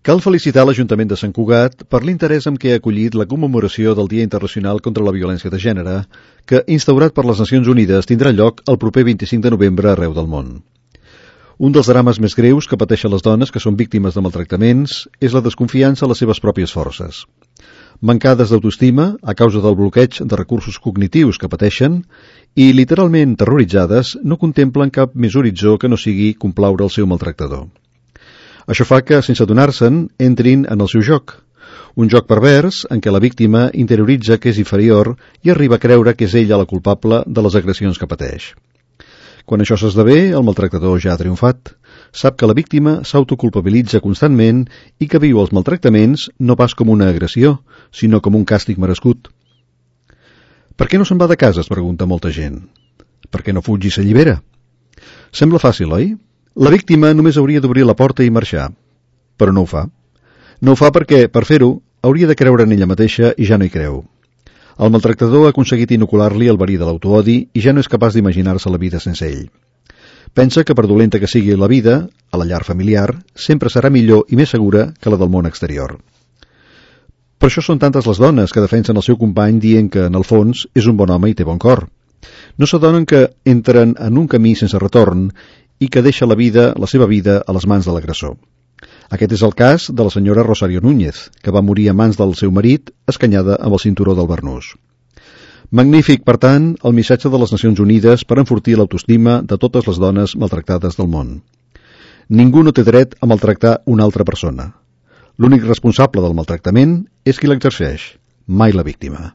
Cal felicitar l'Ajuntament de Sant Cugat per l'interès amb què ha acollit la commemoració del Dia Internacional contra la Violència de Gènere, que, instaurat per les Nacions Unides, tindrà lloc el proper 25 de novembre arreu del món. Un dels drames més greus que pateixen les dones que són víctimes de maltractaments és la desconfiança en les seves pròpies forces. Mancades d'autoestima a causa del bloqueig de recursos cognitius que pateixen i, literalment terroritzades, no contemplen cap més horitzó que no sigui complaure el seu maltractador. Això fa que, sense adonar-se'n, entrin en el seu joc. Un joc pervers en què la víctima interioritza que és inferior i arriba a creure que és ella la culpable de les agressions que pateix. Quan això s'esdevé, el maltractador ja ha triomfat. Sap que la víctima s'autoculpabilitza constantment i que viu els maltractaments no pas com una agressió, sinó com un càstig merescut. Per què no se'n va de casa, es pregunta molta gent. Per què no fuig i s'allibera? Sembla fàcil, oi? La víctima només hauria d'obrir la porta i marxar, però no ho fa. No ho fa perquè, per fer-ho, hauria de creure en ella mateixa i ja no hi creu. El maltractador ha aconseguit inocular-li el verí de l'autoodi i ja no és capaç d'imaginar-se la vida sense ell. Pensa que per dolenta que sigui la vida, a la llar familiar, sempre serà millor i més segura que la del món exterior. Per això són tantes les dones que defensen el seu company dient que, en el fons, és un bon home i té bon cor. No s'adonen que entren en un camí sense retorn i que deixa la seva vida a les mans de l'agressor. Aquest és el cas de la senyora Rosario Núñez, que va morir a mans del seu marit, escanyada amb el cinturó del Bernús. Magnífic, per tant, el missatge de les Nacions Unides per enfortir l'autoestima de totes les dones maltractades del món. Ningú no té dret a maltractar una altra persona. L'únic responsable del maltractament és qui l'exerceix, mai la víctima.